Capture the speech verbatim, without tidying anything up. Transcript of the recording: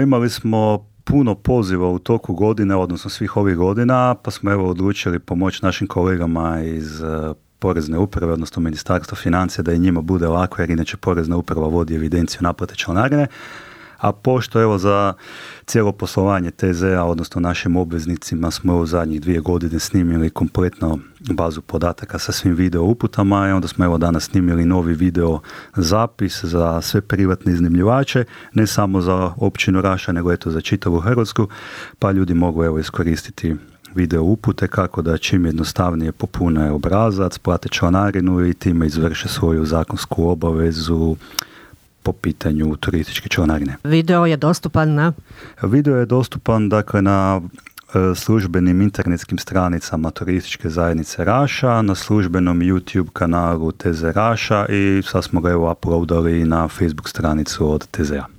Imali smo puno poziva u toku godine, odnosno svih ovih godina, pa smo evo odlučili pomoći našim kolegama iz Porezne uprave, odnosno Ministarstva financija, da i njima bude lako, jer inače Porezna uprava vodi evidenciju naplate članarine. A pošto evo za cijelo poslovanje T Z A, odnosno našim obveznicima, smo u zadnjih dvije godine snimili kompletno bazu podataka sa svim video uputama i onda smo evo danas snimili novi video zapis za sve privatne iznajmljivače, ne samo za općinu Raša, nego eto za čitavu Hrvatsku, pa ljudi mogu evo iskoristiti video upute kako da čim jednostavnije popune obrazac, plate članarinu i time izvrše svoju zakonsku obavezu po pitanju turističke članarine. Video je dostupan na? Video je dostupan dakle na e, službenim internetskim stranicama turističke zajednice Raša, na službenom YouTube kanalu T Z Raša i sad smo ga evo uploadali na Facebook stranicu od T Z A.